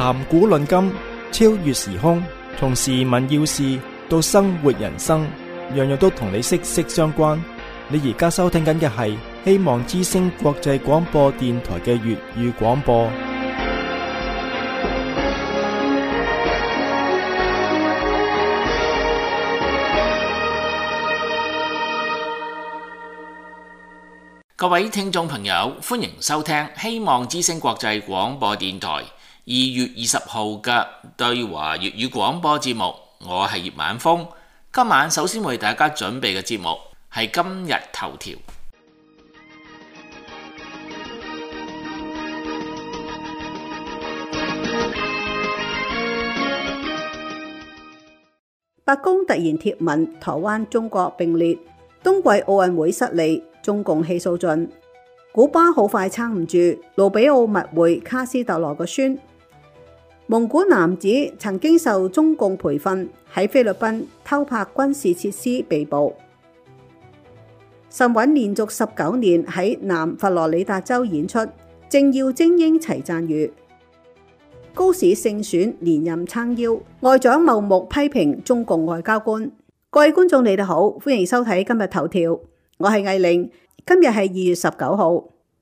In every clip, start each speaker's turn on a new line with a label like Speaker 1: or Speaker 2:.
Speaker 1: 談古論今，超越時空，從時聞要事到生活人生，樣樣都同你息息相關。你而家收聽緊嘅係希望之聲國際廣播電台嘅粵語廣播。
Speaker 2: 各位聽眾朋友，歡迎收聽希望之聲國際廣播電台2月20號嘅對華粵語廣播節目。我係葉晚風，今晚首先為大家準備嘅節目係今日頭條。
Speaker 3: 白宮突然貼文，台灣中國並列，冬季奧運會失利，中共氣數盡。古巴好快撐唔住，盧比奧密會卡斯特羅個孫。蒙古男子曾經受中共培訓，喺菲律賓偷拍軍事設施被捕。神韻連續19年喺南佛羅里達州演出，政要精英齊讚譽。高市勝選連任撐腰，外長茂木批評中共外交官。各位觀眾你哋好，歡迎收睇今日頭條，我係藝玲。今日係2月19號。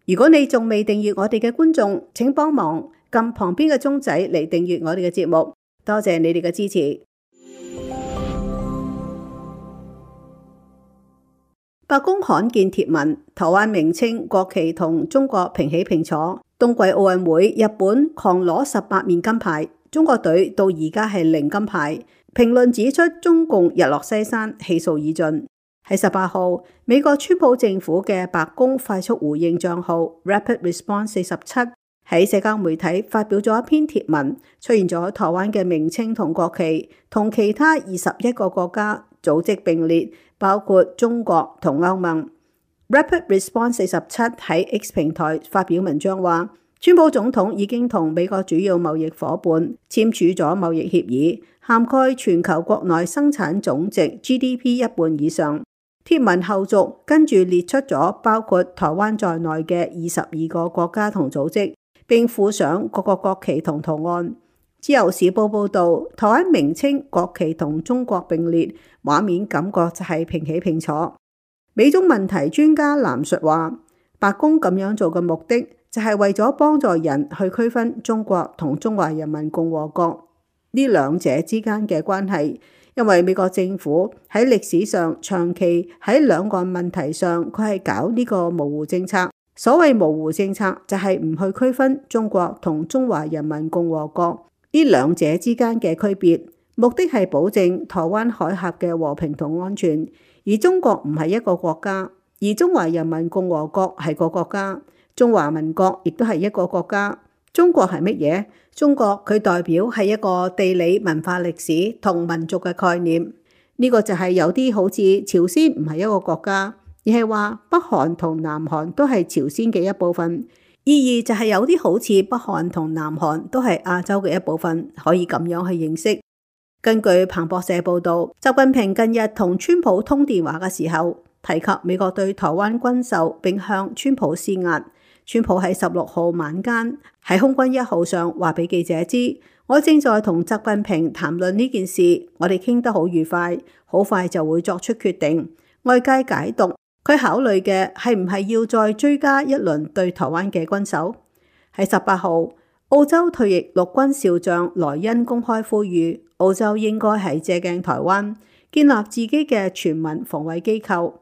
Speaker 3: 如果你仲未訂閱我哋嘅觀眾，請幫忙撳旁邊嘅鐘仔嚟訂閱我哋嘅節目，多謝你哋嘅支持。白宮罕見貼文，台灣名稱國旗同中國平起平坐。冬季奧運會，日本狂攞18面金牌，中國隊到而家係0金牌。評論指出，中共日落西山，氣數已盡。喺18號，美國川普政府嘅白宮快速回應賬號 Rapid Response 47喺社交媒體發表咗一篇貼文，出現咗台灣嘅名稱同國旗，同其他21個國家組織並列，包括中國同歐盟。Rapid Response 47喺 X 平台發表文章話，川普總統已經同美國主要貿易夥伴簽署咗貿易協議，涵蓋全球國內生產總值 GDP 一半以上。貼文後續跟住列出咗包括台灣在內嘅22個國家同組織，並附上各個國旗同圖案。自由時報報道，台灣名稱國旗同中國並列，畫面感覺就係平起平坐。美中問題專家藍述話，白宮咁樣做嘅目的就係為咗幫助人去區分中國同中華人民共和國呢兩者之間嘅關係。因為美國政府喺歷史上長期喺兩岸問題上，佢係搞呢個模糊政策。所謂模糊政策就係唔去區分中國同中華人民共和國呢兩者之間嘅區別，目的係保證台灣海峽嘅和平同安全。而中國唔係一個國家，而中華人民共和國係個國家，中華民國亦都係一個國家。中國係乜嘢？中國佢代表係一個地理文化歷史同民族嘅概念。呢個就係有啲好似朝鮮唔係一個國家，而係話北韓同南韓都係朝鮮嘅一部分。意義就係有啲好似北韓同南韓都係亞洲嘅一部分，可以咁樣去認識。根據彭博社報道，習近平近日同川普通電話嘅時候，提及美國對台灣軍售，並向川普施壓。川普喺16號晚間喺空軍1號上話俾記者知，我正在同習近平談論呢件事，我哋傾得好愉快，好快就會作出決定。外界解讀佢考慮嘅係唔係要再追加一輪對台灣嘅軍售。喺18號，澳洲退役陸軍少將萊恩公開呼籲，澳洲應該係借鏡台灣，建立自己嘅全民防衛機構，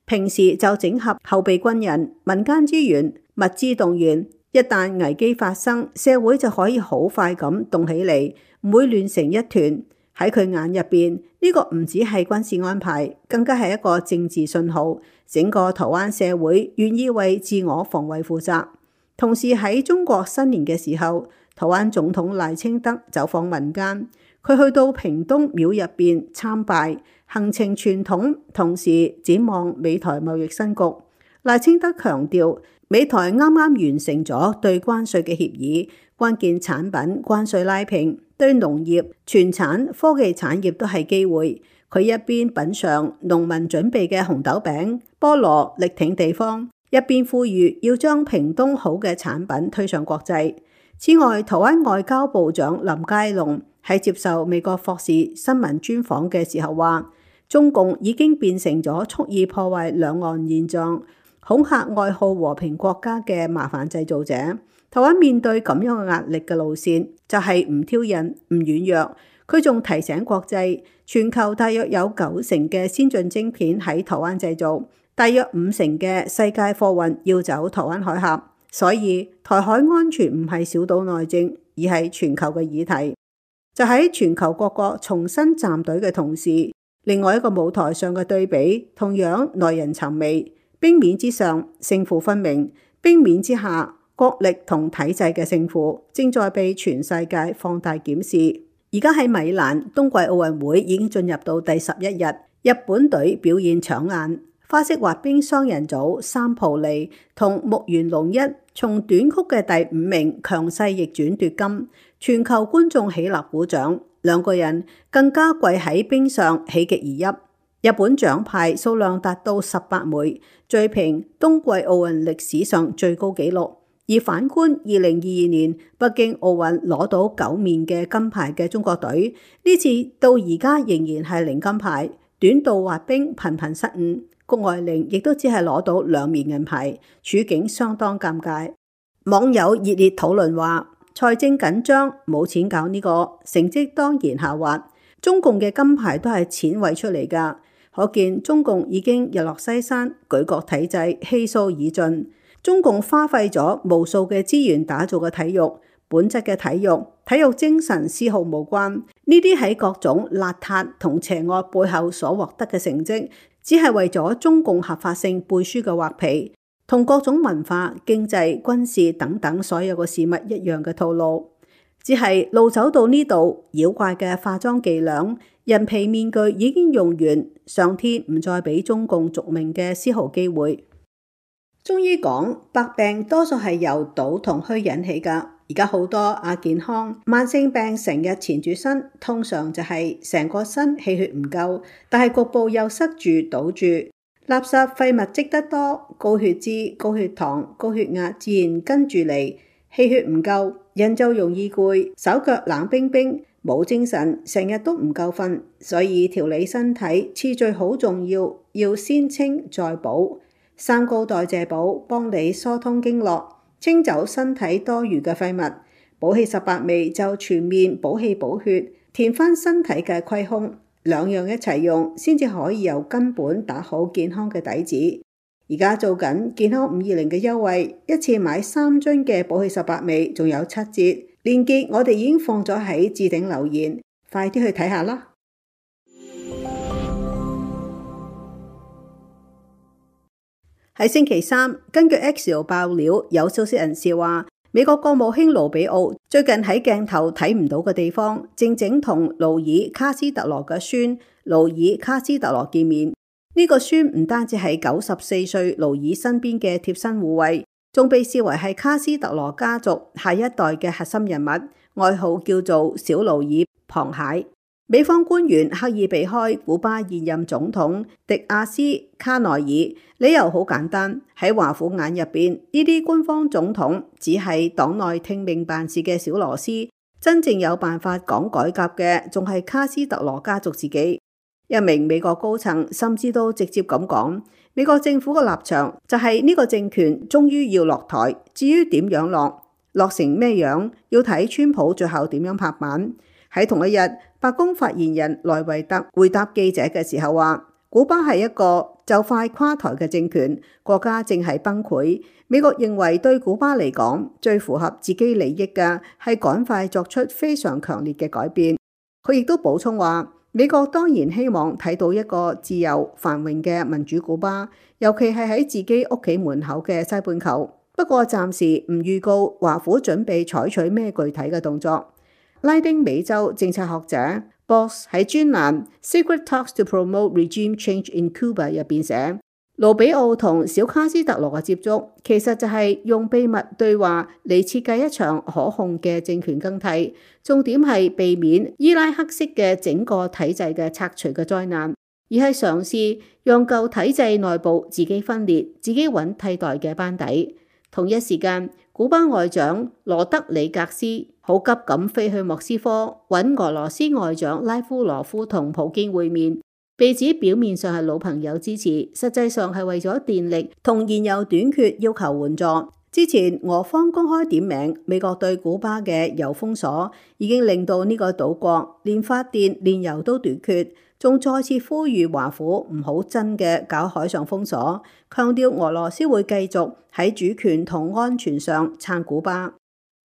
Speaker 3: 平時就整合後備軍人、民間資源、物資動員，一旦危機發生，社會就可以好快咁動起嚟，唔會亂成一團。喺佢眼入邊，呢個唔只係軍事安排，更加係一個政治信號，整個台灣社會願意為自我防衛負責。同時喺中國新年嘅時候，台灣總統賴清德走訪民間，佢去到屏東廟入邊參拜，行程傳統，同時展望美台貿易新局。賴清德強調，美台啱啱完成咗對關稅嘅協議，關鍵產品關稅拉平，對農業、傳產、科技產業都係機會。佢一邊品嚐農民準備嘅紅豆餅、菠蘿，力挺地方，一邊呼籲要將屏東好嘅產品推上國際。此外，台灣外交部長林佳龍喺接受美國霍士新聞專訪嘅時候話，中共已經變成咗蓄意破壞兩岸現狀、恐嚇愛好和平國家嘅麻煩製造者。台灣面對咁樣嘅壓力嘅路線，就係唔挑釁、唔軟弱。佢仲提醒國際，全球大約有90%嘅先進晶片喺台灣製造，大約50%嘅世界貨運要走台灣海峽。所以台海安全唔係小島內政，而係全球嘅議題。就喺全球各國重新站隊嘅同時，另外一個舞台上嘅對比同樣耐人尋味。冰面之上勝負分明，冰面之下國力同體制嘅勝負正在被全世界放大檢視。而家喺米蘭冬季奧運會已經進入到第11日，日本隊表現搶眼。花式滑冰雙人組三浦利同木原龍一從短曲嘅第5名強勢逆轉奪金，全球觀眾起立鼓掌，兩個人更加跪喺冰上喜極而泣。日本獎牌數量達到18枚，追平冬季奧運歷史上最高紀錄。而反觀2022年北京奧運攞到9面嘅金牌嘅中國隊，呢次到而家仍然係零金牌，短道滑冰頻頻失誤。谷愛凌亦都只係攞到2面銀牌，處境相當尷尬。網友熱烈討論話：財政緊張，冇錢搞呢個，成績當然下滑。中共嘅金牌都係錢餵出嚟㗎，可見中共已經日落西山，舉國體制氣數已盡。中共花費咗無數嘅資源打造嘅體育，本質嘅體育精神絲毫無關。呢啲喺各種邋遢同邪惡背後所獲得嘅成績，只係為咗中共合法性背書嘅畫皮，同各種文化、經濟、軍事等等所有嘅事物一樣嘅套路。只係路走到呢度，妖怪嘅化妝伎倆、人皮面具已經用完，上天唔再俾中共續命嘅絲毫機會。中醫講百病多數係由賭同虛引起㗎。而家好多亞健康慢性病成日纏住身，通常就係成個身氣血唔夠，但係局部又塞住堵住，垃圾廢物積得多，高血脂、高血糖、高血壓自然跟住嚟，氣血唔夠，人就容易攰，手腳冷冰冰，冇精神，成日都唔夠瞓。所以調理身體次序好重要，要先清再補。三高代謝補幫你疏通經絡，清走身體多餘嘅廢物。補氣18味就全面補氣補血，填翻身體嘅虧空，兩樣一齊用，先至可以由根本打好健康嘅底子。而家做緊健康520嘅優惠，一次買3樽嘅補氣18味，仲有7折。鏈接我哋已經放咗喺置頂留言，快啲去睇下啦！喺星期三，根據 Axios 爆料，有消息人士話，美國國務卿盧比奧最近喺鏡頭睇唔到嘅地方，正同勞爾卡斯特羅嘅孫勞爾卡斯特羅見面。呢個孫唔單止係94歲勞爾身邊嘅貼身護衛，仲被視為係卡斯特羅家族下一代嘅核心人物，外號叫做小勞爾螃蟹。美方官員刻意避開古巴現任總統迪亞斯卡內爾，理由好簡單，喺華府眼入邊，呢啲官方總統只係黨內聽命辦事嘅小螺絲，真正有辦法講改革嘅，仲係卡斯特羅家族自己。一名美國高層甚至都直接咁講，美國政府嘅立場就係呢個政權終於要落台，至於點樣落成咩樣，要睇川普最後點樣拍板。喺同一日，白宮發言人萊維特回答記者嘅時候話，古巴係一個就快垮台嘅政權，國家正係崩潰。美國認為對古巴嚟講，最符合自己利益嘅係趕快作出非常強烈嘅改變。佢亦都補充話，美國當然希望睇到一個自由繁榮嘅民主古巴，尤其係喺自己屋企門口嘅西半球。不過暫時唔預告華府準備採取咩具體嘅動作。拉丁美洲政策學者 Boss 喺專欄 Secret Talks to Promote Regime Change in Cuba 入邊寫，盧比奧同小卡斯特羅嘅接觸，其實就係用秘密對話嚟設計一場可控嘅政權更替，重點係避免伊拉克式嘅整個體制嘅拆除嘅災難，而係嘗試讓舊體制內部自己分裂，自己揾替代嘅班底。同一時間，古巴外長羅德里格斯好急咁飛去莫斯科揾俄羅斯外長拉夫羅夫同普京會面，被指表面上係老朋友支持，實際上係為咗電力同燃油短缺要求援助。之前俄方公開點名美國對古巴嘅油封鎖，已經令到呢個島國連發電、煉油都短缺，仲再次呼籲華府唔好真嘅搞海上封鎖，強調俄羅斯會繼續喺主權同安全上撐古巴。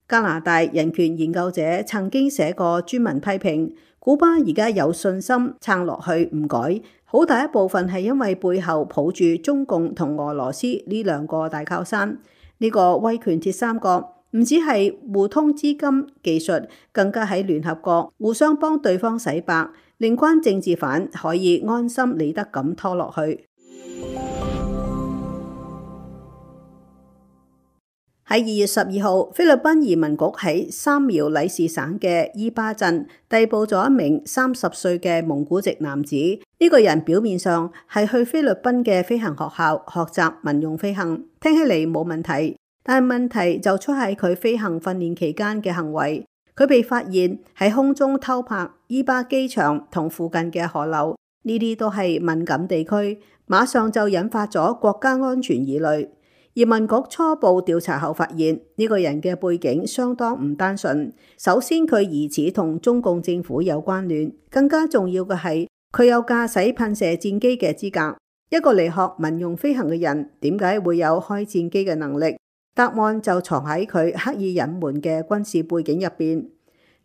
Speaker 3: 加拿大人權研究者曾經寫過專文批評古巴而家有信心撐落去唔改，好大一部分係因為背後抱住中共同俄羅斯呢兩個大靠山。呢個威權鐵三角唔止係互通資金技術，更加喺聯合國互相幫對方洗白，令關政治犯可以安心理得咁拖落去。喺2月12號，菲律賓移民局喺三苗里士省嘅伊巴鎮逮捕咗一名30歲嘅蒙古籍男子。呢個人表面上係去菲律賓嘅飛行學校學習民用飛行，聽起嚟冇問題，但係問題就出喺佢飛行訓練期間嘅行為。佢被發現喺空中偷拍伊巴機場同附近嘅河流，呢啲都係敏感地區，馬上就引發咗國家安全疑慮。移民局初步調查後發現，呢個人嘅背景相當唔單純。首先，佢疑似同中共政府有關聯，更加重要嘅係佢有駕駛噴射戰機嘅資格。一個嚟學民用飛行嘅人，點解會有開戰機嘅能力？答案就藏喺佢刻意隱瞞嘅軍事背景入邊。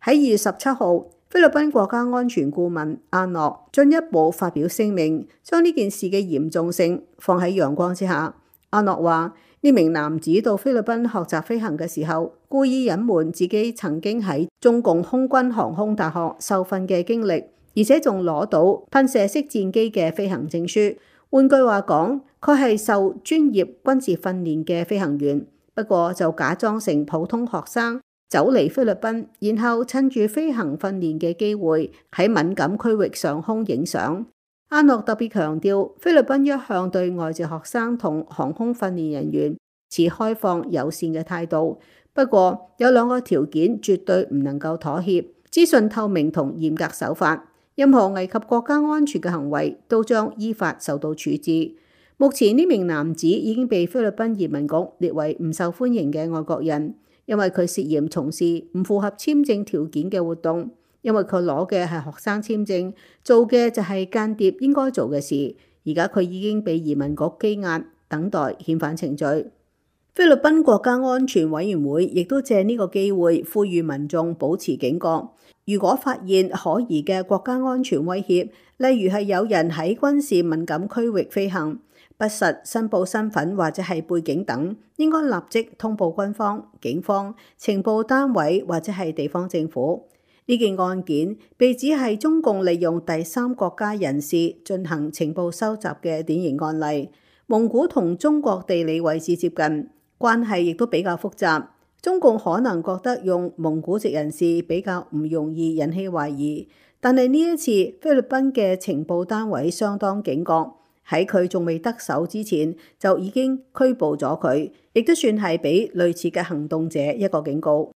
Speaker 3: 喺2月17號，菲律賓國家安全顧問阿諾進一步發表聲明，將呢件事嘅嚴重性放喺陽光之下。阿諾話：呢名男子到菲律賓學習飛行嘅時候，故意隱瞞自己曾經喺中共空軍航空大學受訓嘅經歷，而且仲攞到噴射式戰機嘅飛行證書。換句話講，佢係受專業軍事訓練嘅飛行員，不過就假裝成普通學生走嚟菲律賓，然後趁住飛行訓練嘅機會喺敏感區域上空影相。阿諾特別強調，菲律賓一向對外籍學生同航空訓練人員持開放友善嘅態度，不過有2個條件絕對唔能夠妥協：資訊透明同嚴格守法。任何危及國家安全嘅行為都將依法受到處置。目前呢名男子已經被菲律賓移民局列為唔受歡迎嘅外國人，因為佢涉嫌從事唔符合簽證條件嘅活動。因為佢攞嘅係學生簽證，做嘅就係間諜應該做嘅事。而家佢已經被移民局羈押，等待遣返程序。菲律賓國家安全委員會亦都借呢個機會呼籲民眾保持警覺。如果發現可疑嘅國家安全威脅，例如係有人喺軍事敏感區域飛行，不實申報身份或者係背景等，應該立即通報軍方、警方、情報單位或者係地方政府。呢件案件被指係中共利用第三國家人士進行情報收集嘅典型案例。蒙古同中國地理位置接近，關係亦都比較複雜。中共可能覺得用蒙古籍人士比較唔容易引起懷疑，但係呢一次菲律賓嘅情報單位相當警覺，喺佢仲未得手之前就已經拘捕咗佢，亦都算係俾類似嘅行動者一個警告。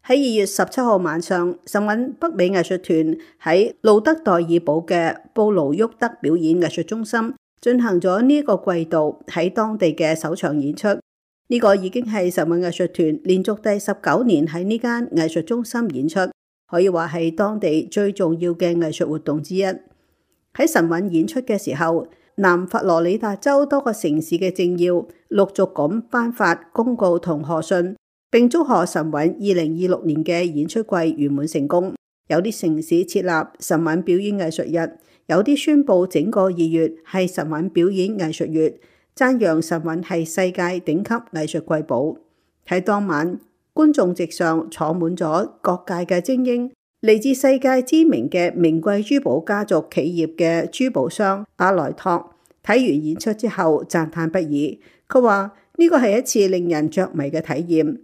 Speaker 3: 喺2月17號晚上，神韻北美藝術團喺路德代爾堡嘅布盧沃德表演藝術中心進行咗呢個季度喺當地嘅首場演出。呢個已經係神韻藝術團連續第19年喺呢間藝術中心演出，可以話係當地最重要嘅藝術活動之一。喺神韻演出嘅時候，南佛羅里達州多個城市嘅政要陸續咁頒發公告同賀信，並祝賀神韻2026年嘅演出季圓滿成功。有啲城市設立神韻表演藝術日，有啲宣布整個2月係神韻表演藝術月，讚揚神韻係世界頂級藝術瑰寶。喺當晚，觀眾席上坐滿咗各界嘅精英，嚟自世界知名嘅名貴珠寶家族企業嘅珠寶商阿萊托，睇完演出之後讚嘆不已。佢話呢個係一次令人着迷嘅體驗。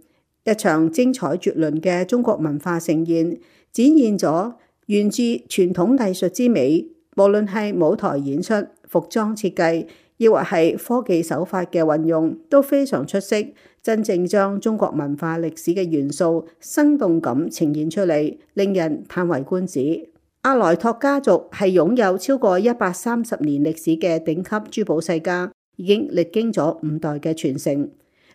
Speaker 3: 一場精彩絕倫嘅中國文化盛宴，展現咗源自傳統藝術之美。無論係舞台演出、服裝設計，亦或係科技手法嘅運用，都非常出色，真正將中國文化歷史嘅元素生動咁呈現出嚟，令人嘆為觀止。阿萊托家族係擁有超過130年歷史嘅頂級珠寶世家，已經歷經咗5代嘅傳承。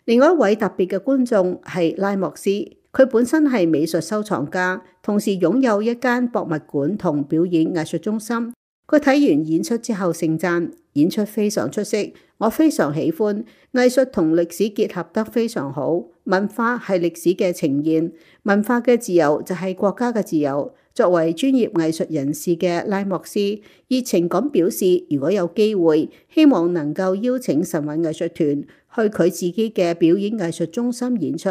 Speaker 3: 另外一位特別嘅觀眾係拉莫斯，佢本身係美術收藏家，同時擁有一間博物館同表演藝術中心。佢睇完演出之後盛讚演出非常出色，我非常喜歡藝術同歷史結合得非常好。文化係歷史嘅呈現，文化嘅自由就係國家嘅自由。作為專業藝術人士嘅拉莫斯熱情咁表示，如果有機會，希望能夠邀請神韻藝術團去佢自己嘅表演藝術中心演出。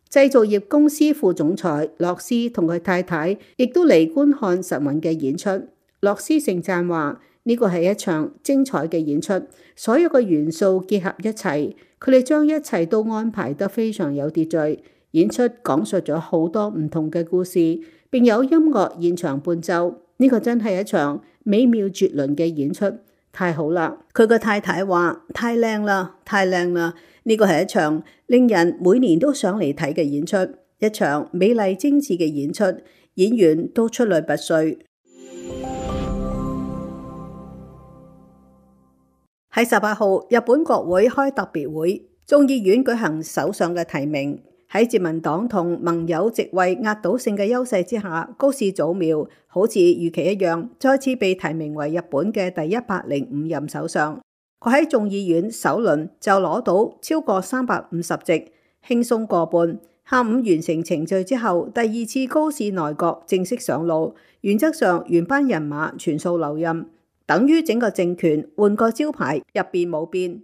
Speaker 3: 製造業公司副總裁洛斯同佢太太亦都嚟觀看神韻嘅演出。洛斯盛讚話：呢個係一場精彩嘅演出，所有嘅元素結合一齊，佢哋將一切都安排得非常有秩序。演出講述咗好多唔同嘅故事，並有音樂現場伴奏。呢個真係一場美妙絕倫嘅演出，太好啦！佢個太太話：太靚啦，太靚啦！呢個係一場令人每年都想嚟睇嘅演出，一場美麗精緻嘅演出，演員都出類拔萃。喺18號，日本國會開特別會，眾議院舉行首相嘅提名。喺自民黨同盟友席位壓倒性嘅優勢之下，高市早苗好似預期一樣，再次被提名為日本嘅第105任首相。佢喺眾議院首輪就攞到超過350席，輕鬆過半。下午完成程序之後，第2次高市內閣正式上路，原則上原班人馬全數留任，等於整個政權換個招牌，入邊冇變。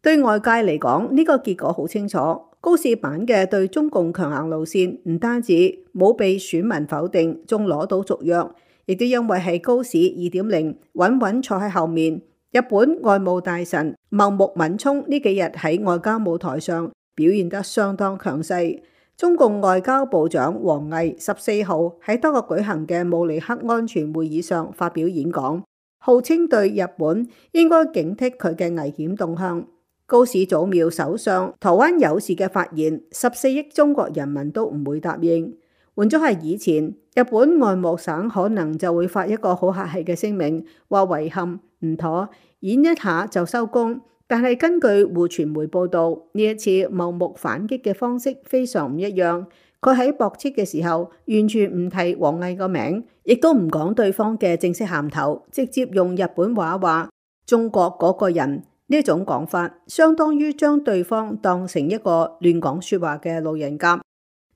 Speaker 3: 對外界嚟講，呢個結果好清楚。高市版嘅對中共強硬路線唔單止冇被選民否定，仲攞到續約，亦都因為係高市2.0穩穩坐喺後面。日本外務大臣茂木敏充呢幾日喺外交舞台上表現得相當強勢。中共外交部長王毅14號喺德國舉行嘅慕尼黑安全會議上發表演講，號稱對日本應該警惕佢嘅危險動向。高市早苗首相台灣有事嘅發言，14億中國人民都唔會答應。換咗係以前，日本外務省可能就會發一個好客氣嘅聲明，話遺憾唔妥，演一下就收工。但係根據互傳媒報道，呢一次茂木反擊嘅方式非常唔一樣。佢喺駁斥嘅時候，完全唔提王毅個名，亦都唔講對方嘅正式銜頭，直接用日本話話中國嗰個人。呢種講法相當於將對方當成一個亂講說話嘅路人甲。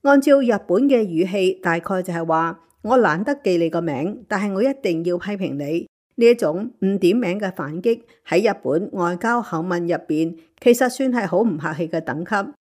Speaker 3: 按照日本嘅語氣，大概就係話我懶得記你個名，但係我一定要批評你。呢一種唔點名嘅反擊喺日本外交口吻入邊，其實算係好唔客氣嘅等級。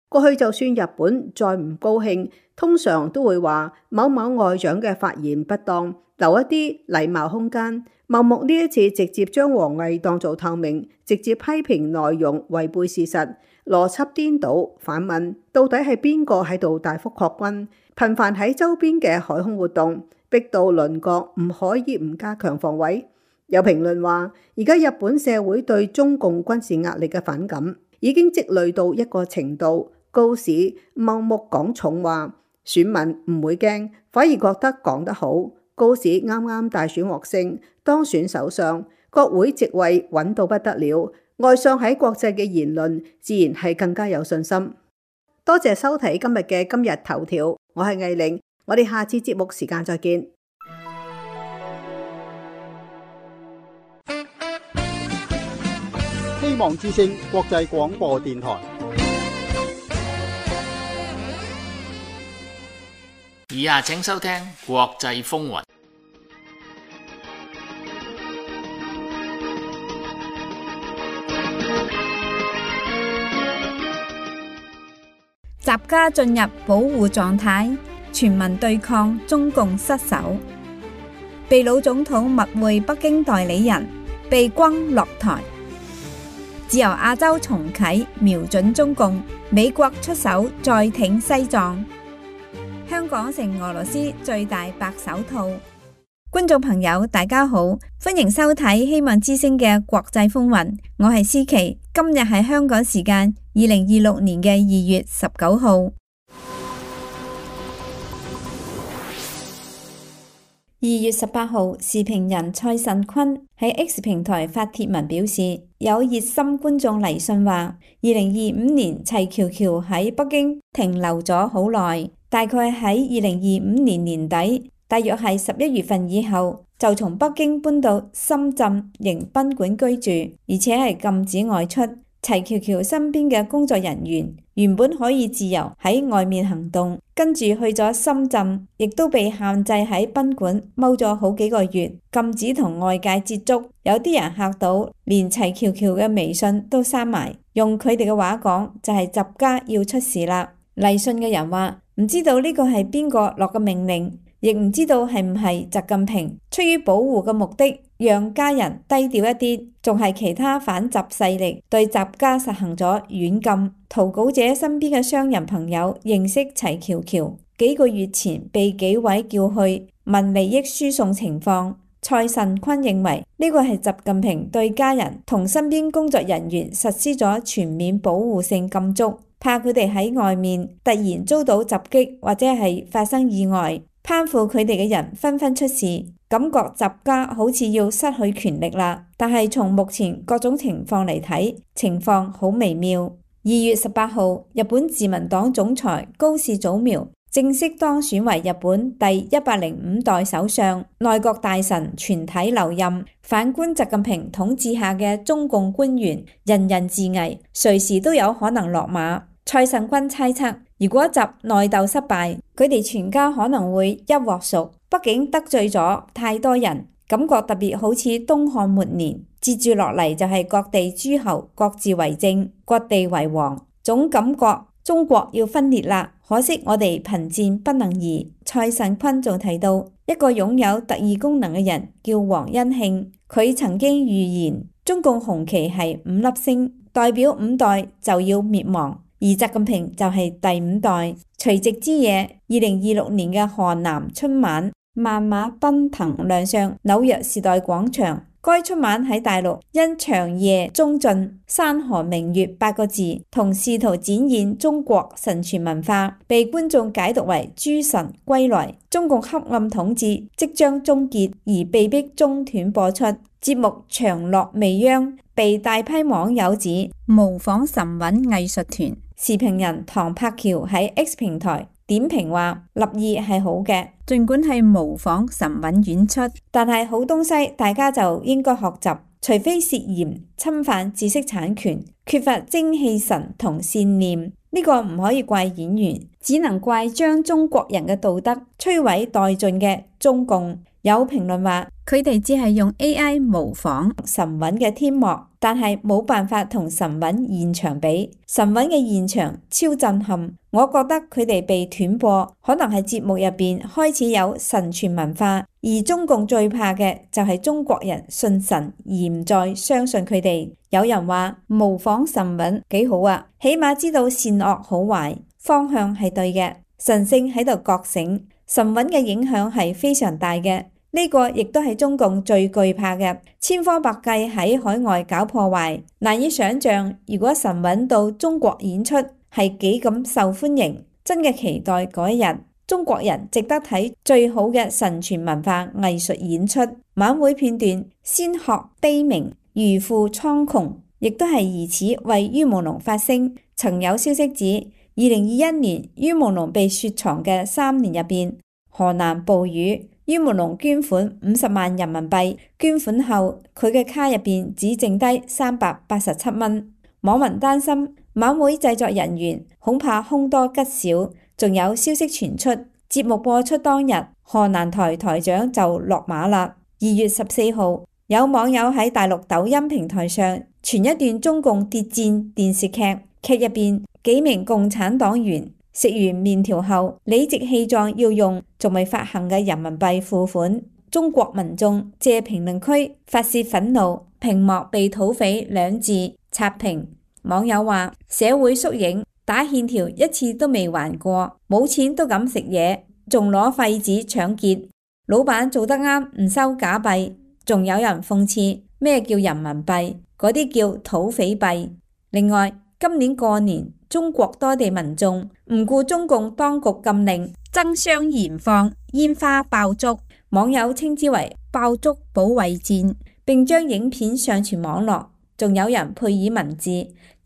Speaker 3: 過去就算日本再唔高興，通常都會話某某外長嘅發言不當，留一啲禮貌空間。茂木呢一次直接將王毅當做透明，直接批評內容違背事實，邏輯顛倒，反問到底係邊個喺度大幅擴軍，頻繁喺周邊嘅海空活動，逼到鄰國唔可以唔加強防衛。有評論話，而家日本社會對中共軍事壓力嘅反感已經積累到一個程度，高市茂木講重話，選民唔會驚，反而覺得講得好。高市啱啱大選獲勝，當選首相，國會席位穩到不得了，外相喺國際嘅言論自然係更加有信心。多謝收睇今日嘅今日頭條，我係藝玲，我哋下次節目時間再見。
Speaker 4: 希望之聲國際廣播電台。
Speaker 2: 以下請收聽國際風雲。
Speaker 5: 習家進入保護狀態，全民對抗中共失守。秘魯總統密會北京代理人，被轟落台。自由亞洲重啟，瞄準中共，美國出手再挺西藏。香港成俄羅斯最大白手套。觀眾朋友，大家好，歡迎收睇希望之聲嘅國際風雲。我係思琪，今日係香港時間2026年嘅2月19號。2月18號，時評人蔡慎坤喺 X 平台發帖文表示，有熱心觀眾嚟信話，2025年齊喬喬喺北京停留咗好耐，大概喺2025年年底，大約係11月份以後，就從北京搬到深圳迎賓館居住，而且係禁止外出。齊喬喬身邊嘅工作人員原本可以自由喺外面行動，跟住去咗深圳，亦都被限制喺賓館踎咗好幾個月，禁止同外界接觸。有啲人嚇到，連齊喬喬嘅微信都刪埋。用佢哋嘅話講，就係習家要出事啦。嚟信嘅人話，唔知道呢個係邊個落嘅命令，亦唔知道係唔係習近平出於保護嘅目的，讓家人低調一啲，仲係其他反習勢力對習家實行咗軟禁。投稿者身邊嘅商人朋友認識齊喬喬，幾個月前被紀委叫去問利益輸送情況。蔡慎坤認為呢個係習近平對家人同身邊工作人員實施咗全面保護性禁足，怕佢哋喺外面突然遭到襲擊或者係發生意外，攀附佢哋嘅人紛紛出事，感覺習家好似要失去權力啦。但係從目前各種情況嚟睇，情況好微妙。2月18號，日本自民黨總裁高市早苗正式當選為日本第105代首相，內閣大臣全體留任。反觀習近平統治下嘅中共官員，人人自危，隨時都有可能落馬。蔡慎坤猜測，如果習內鬥失敗，佢哋全家可能會一鑊熟，畢竟得罪咗太多人，感覺特別好似東漢末年。接住落嚟就係各地諸侯各自為政，各地為王，總感覺中國要分裂啦。可惜我哋貧賤不能移。蔡慎坤仲提到一個擁有特異功能嘅人叫黃恩慶，佢曾經預言中共紅旗係5粒星，代表5代就要滅亡，而習近平就係第5代。除夕之夜，2026年嘅河南春晚，萬馬奔騰亮相紐約時代廣場。該春晚喺大陸因長夜中盡、山河明月8個字同試圖展現中國神傳文化，被觀眾解讀為諸神歸來，中共黑暗統治即將終結，而被迫中斷播出。節目長樂未央，被大批網友指模仿神韻藝術團。時評人唐柏橋喺 X 平台點評話，立意係好嘅，儘管係模仿神韻演出，但係好東西大家就應該學習，除非涉嫌侵犯知識產權，缺乏精氣神同善念，呢個唔可以怪演員，只能怪將中國人嘅道德摧毀殆盡嘅中共。有評論話，佢哋只係用 AI 模仿神韻嘅天幕，但係冇辦法同神韻現場比。神韻嘅現場超震撼，我覺得佢哋被斷播，可能係節目入邊開始有神傳文化，而中共最怕嘅就係中國人信神而唔再相信佢哋。有人話模仿神韻幾好啊，起碼知道善惡好壞，方向係對嘅，神聖喺度覺醒，神韻嘅影響係非常大嘅。呢個亦都係中共最懼怕嘅，千方百計喺海外搞破壞。難以想象，如果神韻到中國演出係幾咁受歡迎，真嘅期待嗰一日，中國人值得睇最好嘅神傳文化藝術演出。晚會片段先學悲鳴，如負蒼穹，亦都係疑似為于朦朧發聲。曾有消息指，2021年于朦朧被雪藏嘅3年入邊，河南暴雨。于朦朧捐款50萬人民幣，捐款後佢嘅卡入邊只剩低387蚊。網民擔心晚會製作人員恐怕凶多吉少，仲有消息傳出，節目播出當日，河南台台長就落馬啦。2月14號，有網友喺大陸抖音平台上傳一段中共諜戰電視劇，劇入邊幾名共產黨員食完麵條後，理直氣壯要用仲未發行嘅人民幣付款。中國民眾借評論區發洩憤怒，屏幕被土匪2字刷屏。網友話：社會縮影，打欠條1次都未還過，冇錢都敢食嘢，仲攞廢紙搶劫。老闆做得啱，唔收假幣。仲有人諷刺咩叫人民幣，嗰啲叫土匪幣。另外，今年過年，中國多地民眾唔顧中共當局禁令，爭相燃放煙花爆竹，網友稱之為爆竹保衛戰，並將影片上傳網絡。仲有人配以文字，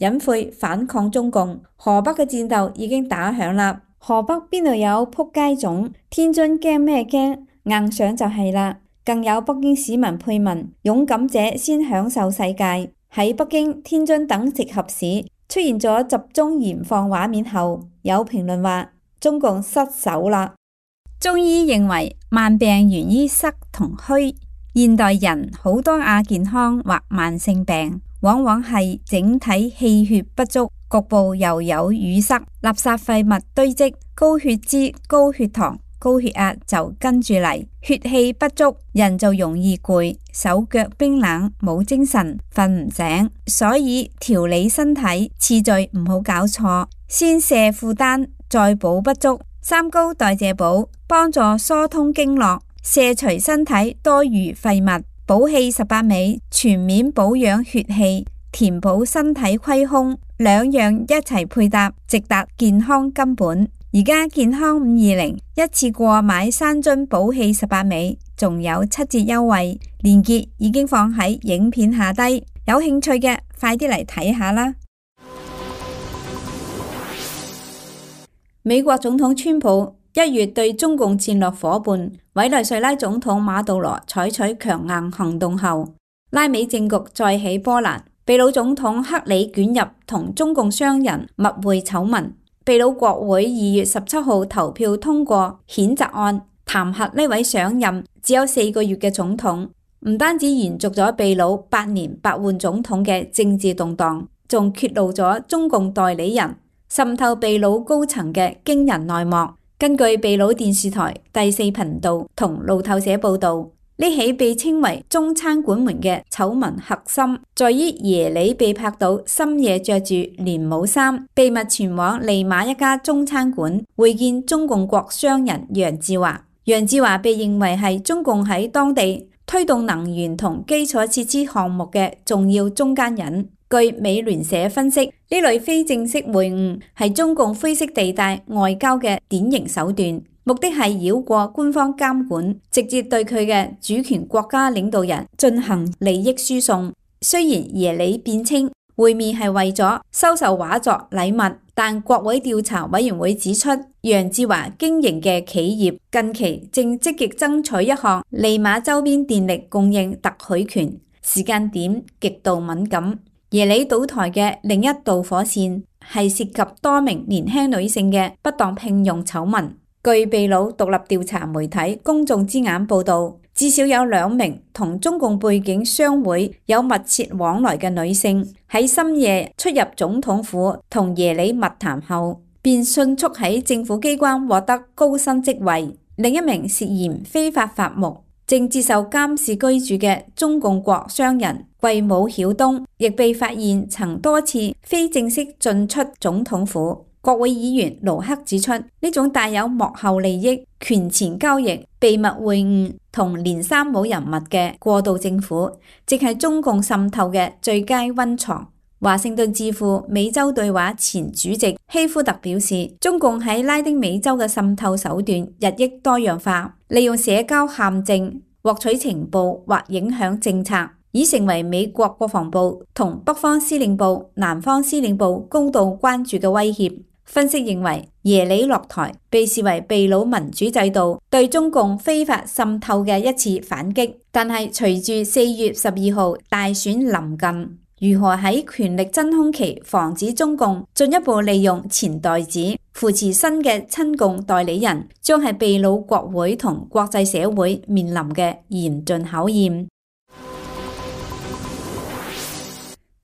Speaker 5: 隱晦反抗中共。河北嘅戰鬥已經打響啦，河北邊度有撲街種？天津驚咩驚？硬上就係啦。更有北京市民配文：勇敢者先享受世界。喺北京、天津等直轄市出現咗集中燃放畫面後，有評論話中共失手啦。中醫認為慢病源於濕同虛，現代人好多亞健康或慢性病，往往係整體氣血不足，局部又有淤塞、垃圾廢物堆積，高血脂、高血糖、高血壓就跟住嚟，血氣不足，人就容易攰，手腳冰冷，冇精神，瞓唔醒。所以調理身體次序唔好搞錯，先卸負擔，再補不足。三高代謝補幫助疏通經絡，卸除身體多餘廢物。補氣18味全面保養血氣，填補身體虧空，兩樣一齊配搭，直達健康根本。而家健康520一次過買3樽補氣18味，仲有7折優惠，鏈接已經放喺影片下低，有興趣嘅快啲嚟睇下啦。美國總統川普1月對中共戰略夥伴委內瑞拉總統馬杜羅採取強硬行動後，拉美政局再起波瀾，秘魯總統克里捲入同中共商人密會醜聞。秘魯國會2月17號投票通過譴責案，彈劾呢位上任只有4個月嘅總統，唔單止延續咗秘魯8年8換總統嘅政治動盪，仲揭露咗中共代理人滲透秘魯高層嘅驚人內幕。根據秘魯電視台第4頻道同路透社報道，呢起被稱為中餐館門嘅醜聞核心，在於耶里被拍到深夜着住連帽衫，秘密前往利馬一家中餐館會見中共國商人楊志華。楊志華被認為係中共喺當地推動能源同基礎設施項目嘅重要中間人。據美聯社分析，呢類非正式會晤係中共灰色地帶外交嘅典型手段，目的係繞過官方監管，直接對佢嘅主權國家領導人進行利益輸送。雖然耶里辯稱會面係為咗收受畫作禮物，但國會調查委員會指出，楊志華經營嘅企業近期正積極爭取一項利馬周邊電力供應特許權，時間點極度敏感。耶里倒台嘅另一導火線係涉及多名年輕女性嘅不當聘用醜聞。據秘魯獨立調查媒體公眾之眼報道，至少有2名同中共背景商會有密切往來嘅女性喺深夜出入總統府同耶里密談後，便迅速喺政府機關獲得高薪職位。另一名涉嫌非法伐木，正接受監視居住嘅中共國商人桂武曉東，亦被發現曾多次非正式進出總統府。國會議員盧克指出，呢種帶有幕後利益、權錢交易、秘密會晤同連三冇人物嘅過渡政府，即係中共滲透嘅最佳溫床。華盛頓智庫美洲對話前主席希夫特表示，中共喺拉丁美洲嘅滲透手段日益多樣化，利用社交陷阱獲取情報或影響政策，已成為美國國防部同北方司令部、南方司令部高度關注嘅威脅。分析認為，耶里落台被視為秘魯民主制度對中共非法滲透嘅一次反擊，但係隨住4月12號大選臨近，如何喺權力真空期防止中共進一步利用錢袋子扶持新嘅親共代理人，將係秘魯國會同國際社會面臨嘅嚴峻考驗。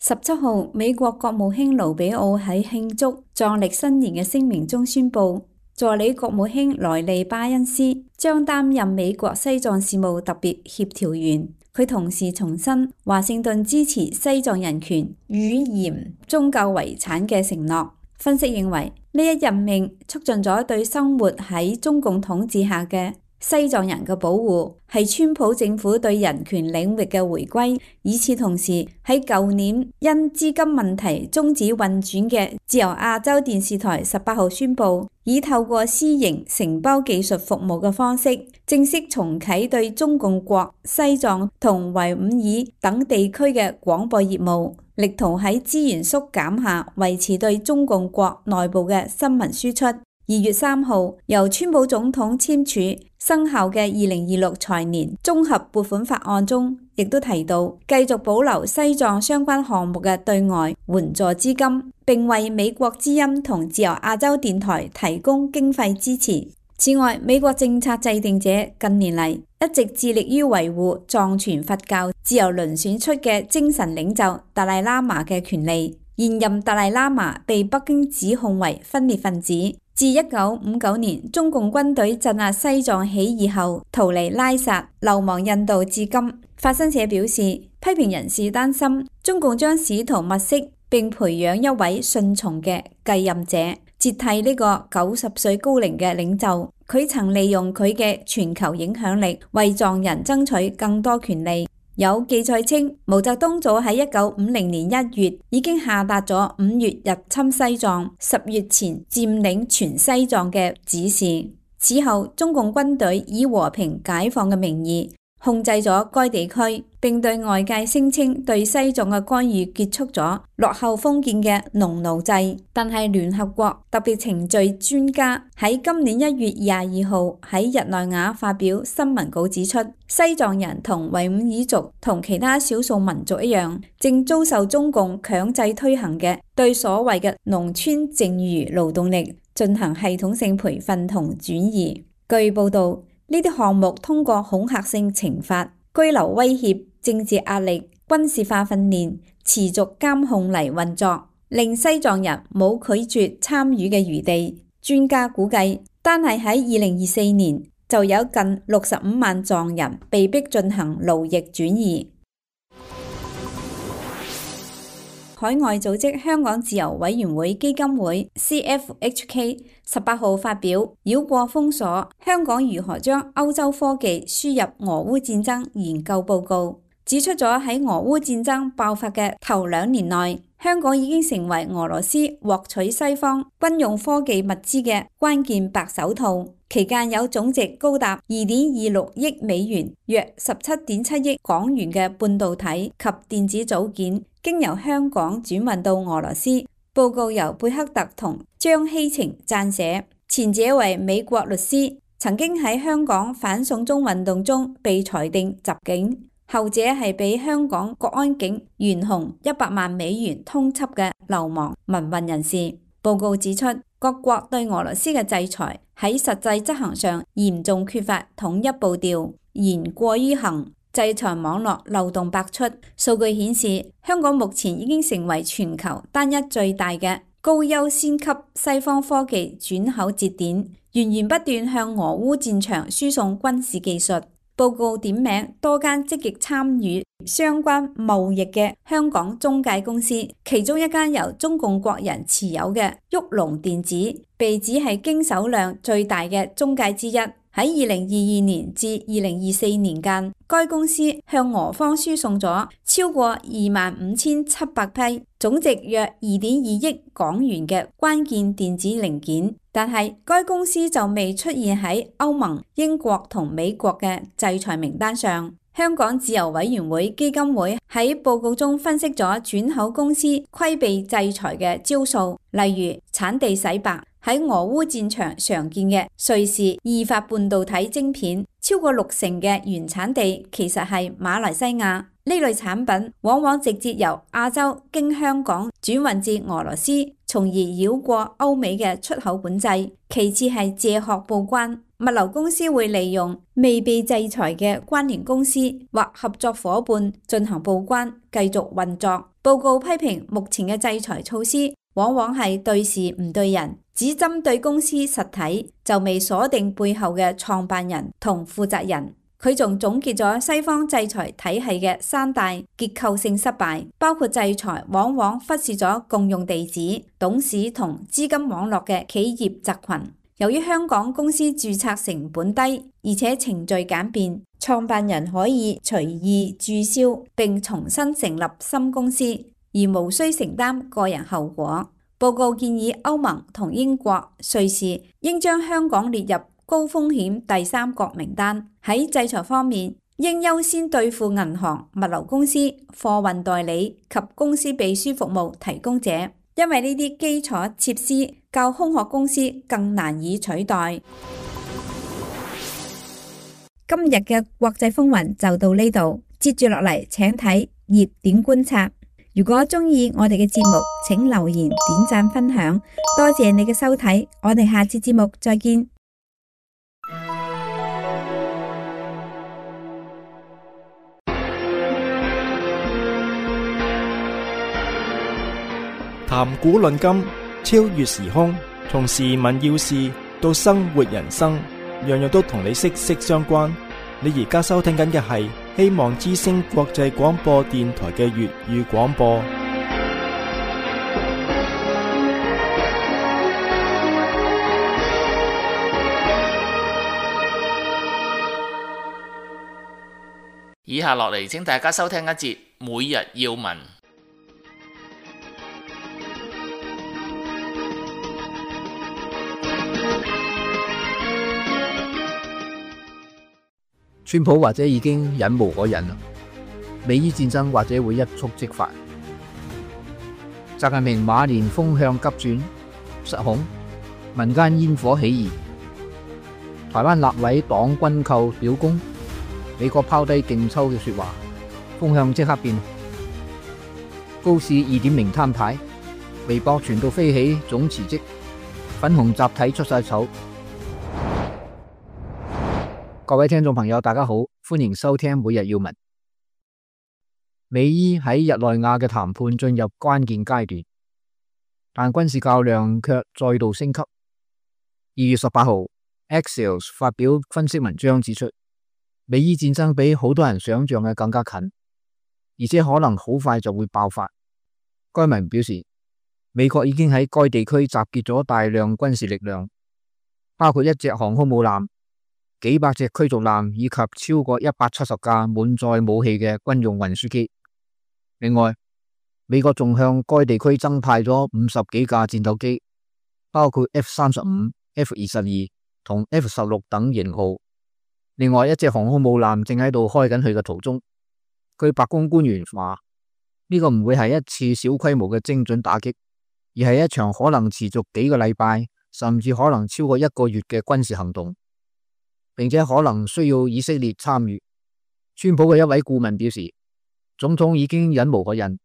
Speaker 5: 17號，美國國務卿盧比奧喺慶祝藏曆新年嘅聲明中宣布，助理國務卿萊利巴恩斯將擔任美國西藏事務特別協調員。佢同時重申華盛頓支持西藏人權、語言、宗教遺產嘅承諾。分析認為，呢一任命促進咗對生活喺中共統治下嘅西藏人嘅保護，係川普政府對人權領域嘅回歸。與此同時，喺舊年因資金問題終止運轉嘅自由亞洲電視台18號宣布，以透過私營承包技術服務嘅方式，正式重啟對中共國西藏同維吾爾等地區嘅廣播業務，力圖喺資源縮減下維持對中共國內部嘅新聞輸出。2月3號，由川普總統簽署生效嘅2026財年綜合撥款法案中，亦都提到繼續保留西藏相關項目嘅對外援助資金，並為美國之音同自由亞洲電台提供經費支持。此外，美國政策制定者近年嚟一直致力於維護藏傳佛教自由輪選出嘅精神領袖達賴喇嘛嘅權利。現任達賴喇嘛被北京指控為分裂分子。自1959年中共軍隊鎮壓西藏起義後逃離拉薩，流亡印度至今。法新社表示，批評人士擔心中共將試圖物色並培養一位順從嘅繼任者，接替呢個90歲高齡嘅領袖。佢曾利用佢嘅全球影響力為藏人爭取更多權利。有記載稱，毛澤東早喺1950年1月已經下達咗5月入侵西藏、10月前佔領全西藏嘅指示。此後，中共軍隊以和平解放嘅名義控制咗該地區，並對外界聲稱對西藏嘅干預結束咗落後封建嘅農奴制。但係聯合國特別程序專家喺今年1月22號喺日內瓦發表新聞稿指出，西藏人同維吾爾族同其他少數民族一樣，正遭受中共強制推行嘅對所謂嘅農村剩餘勞動力進行系統性培訓同轉移。據報道，呢啲項目通過恐嚇性懲罰、居留威脅、政治壓力、軍事化訓練、持續監控嚟運作，令西藏人冇拒絕參與嘅餘地。專家估計，單係喺2024年就有近65萬藏人被迫進行勞役轉移。海外組織香港自由委員會基金會 CFHK 18號發表繞過封鎖，香港如何將歐洲科技輸入俄烏戰爭研究報告，指出咗喺俄烏戰爭爆發嘅頭2年內，香港已經成為俄羅斯獲取西方軍用科技物資嘅關鍵白手套。期間有總值高達2.26億美元，約17.7億港元嘅半導體及電子組件，經由香港轉運到俄羅斯。報告由貝克特同張希晴撰寫，前者為美國律師，曾經喺香港反送中運動中被裁定襲警，後者係被香港國安警懸紅100萬美元通緝嘅流亡民運人士。報告指出，各國對俄羅斯嘅制裁喺實際執行上嚴重缺乏統一步調，言過於行，制裁網絡漏洞百出。數據顯示，香港目前已經成為全球單一最大嘅高優先級西方科技轉口節點，源源不斷向俄烏戰場輸送軍事技術。報告點名多間積極參與相關貿易嘅香港中介公司，其中一間由中共國人持有嘅旭龍電子，被指係經手量最大嘅中介之一。喺2022年至2024年間，該公司向俄方輸送咗超過25,700批，總值約2.2億港元嘅關鍵電子零件，但係該公司就未出現喺歐盟、英國同美國嘅制裁名單上。香港自由委員會基金會喺報告中分析咗轉口公司規避制裁嘅招數，例如產地洗白。喺俄烏戰場常見嘅瑞士意法半導體晶片，超過60%嘅原產地其實係馬來西亞。呢類產品往往直接由亞洲經香港轉運至俄羅斯，從而繞過歐美嘅出口管制。其次係借殼報關，物流公司會利用未被制裁嘅關聯公司或合作夥伴進行報關，繼續運作。報告批評目前嘅制裁措施往往係對事唔對人，只針對公司實體，就未鎖定背後嘅創辦人同負責人。佢仲總結咗西方制裁體系嘅3大結構性失敗，包括制裁往往忽視咗共用地址、董事同資金網絡嘅企業集群，由於香港公司註冊成本低，而且程序簡便，創辦人可以隨意註銷並重新成立新公司，而無需承擔個人後果。報告建議歐盟同英國、瑞士應將香港列入高風險第三國名單。喺制裁方面，應優先對付銀行、物流公司、貨運代理及公司秘書服務提供者，因為呢啲基礎設施較空殼公司更難以取代。今日嘅國際風雲就到呢度，接住落嚟請睇熱點觀察。如果鍾意我哋嘅節目，請留言、點讚、分享，多謝你嘅收睇，我哋下次節目再見。
Speaker 1: 談古論今，超越時空，從時聞要事到生活人生，樣樣都同你息息相關。你而家收聽緊嘅係希望之聲國際廣播電台嘅粵語廣播。
Speaker 2: 以下落嚟，請大家收聽一節每日要聞。
Speaker 6: 川普或者已經忍無可忍啦，美伊戰爭或者會一觸即發。習近平馬年風向急轉，失控，民間煙火起義，台灣立委黨軍購表功，美國拋低勁抽嘅說話，風向即刻變。高市 2.0 攤牌，微博傳到飛起總辭職，粉紅集體出晒醜。各位聽眾朋友，大家好，歡迎收聽每日要聞。美伊喺日內瓦嘅談判進入關鍵階段，但軍事較量卻再度升級。2月18號 Axios 發表分析文章指出，美伊戰爭比好多人想象嘅更加近，而且可能好快就會爆發。該文表示，美國已經喺該地區集結咗大量軍事力量，包括1隻航空母艦、幾百隻驅逐艦以及超過170架滿載武器嘅軍用運輸機。另外，美國仲向該地區增派咗50幾架戰鬥機，包括 F-35、F-22同 F-16等型號。另外1隻航空母艦正喺度開緊佢嘅途中。據白宮官員話，呢個唔會係一次小規模嘅精準打擊，而係一場可能持續幾個禮拜，甚至可能超過1個月嘅軍事行動，並且可能需要以色列參與。川普嘅一位顧問表示，總統已經忍無可忍。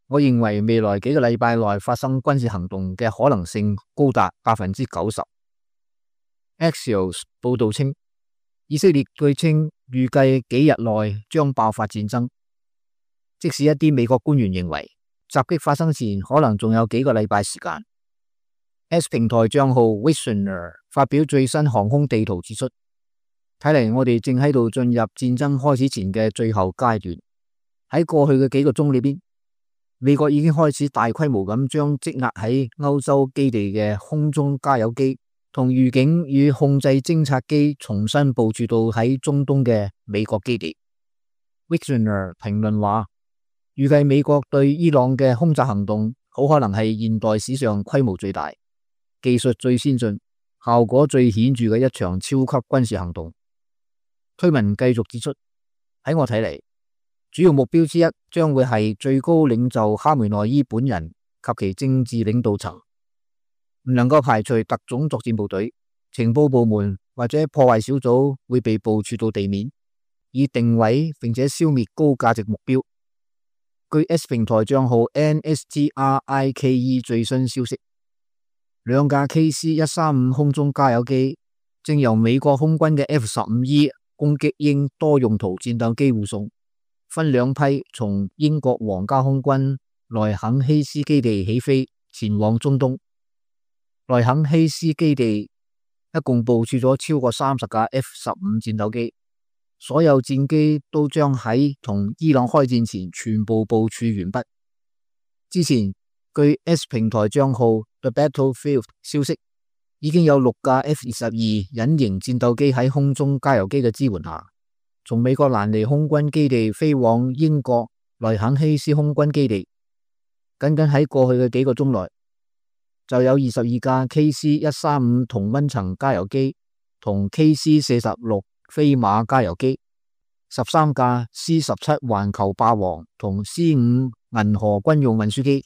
Speaker 6: 我認為未來幾個禮拜內發生軍事行動嘅可能性高達90%。Axios 報道稱，以色列據稱預計幾日內將爆發戰爭，即使一啲美國官員認為襲擊發生前可能仲有幾個禮拜時間。S 平台賬號 Visioner 發表最新航空地圖指出，睇嚟我哋正喺度進入戰爭開始前嘅最後階段。喺過去嘅幾個鐘裏邊，美國已經開始大規模咁將積壓喺歐洲基地嘅空中加油機同預警與控制偵察機重新部署到喺中東嘅美國基地。Visioner 評論話，預計美國對伊朗嘅空襲行動好可能係現代史上規模最大、技術最先進、效果最顯著嘅一場超級軍事行動。推文繼續指出，喺我睇嚟，主要目標之一將會係最高領袖哈梅內伊本人及其政治領導層，唔能夠排除特種作戰部隊、情報部門或者破壞小組會被部署到地面，以定位並且消滅高價值目標。據 S 平台賬號 NSTRIKE 最新消息，2架 KC-135 空中加油機正由美國空軍嘅 F-15E 攻擊鷹多用途戰鬥機護送，分兩批從英國皇家空軍萊肯希斯基地起飛，前往中東。萊肯希斯基地一共部署咗超過30架 F-15 戰鬥機，所有戰機都將喺同伊朗開戰前全部部署完畢。之前據 S 平台賬號 The Battlefield 消息，已經有6架 F-22隱形戰鬥機喺空中加油機嘅支援下，從美國蘭尼空軍基地飛往英國萊肯希斯空軍基地。僅僅喺過去嘅幾個鐘內，就有22架 KC-135 同溫層加油機同 KC-46 飛馬加油機，13架 C-17 環球霸王同 C-5 銀河軍用運輸機，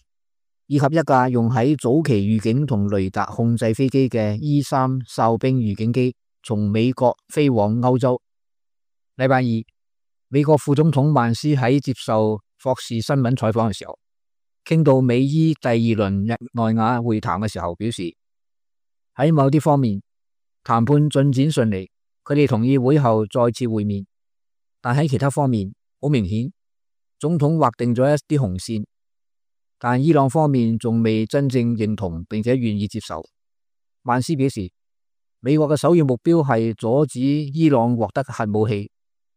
Speaker 6: 以及一架用喺早期預警同雷達控制飛機嘅 E-3 哨兵預警機，從美國飛往歐洲。禮拜二，美國副總統曼斯喺接受霍士新聞採訪嘅時候，傾到美伊第2輪日內瓦會談嘅時候，表示喺某啲方面談判進展順利，佢哋同意會後再次會面，但喺其他方面好明顯，總統劃定咗一啲紅線，但伊朗方面仲未真正認同並且願意接受。曼斯表示，美國嘅首要目標係阻止伊朗獲得核武器，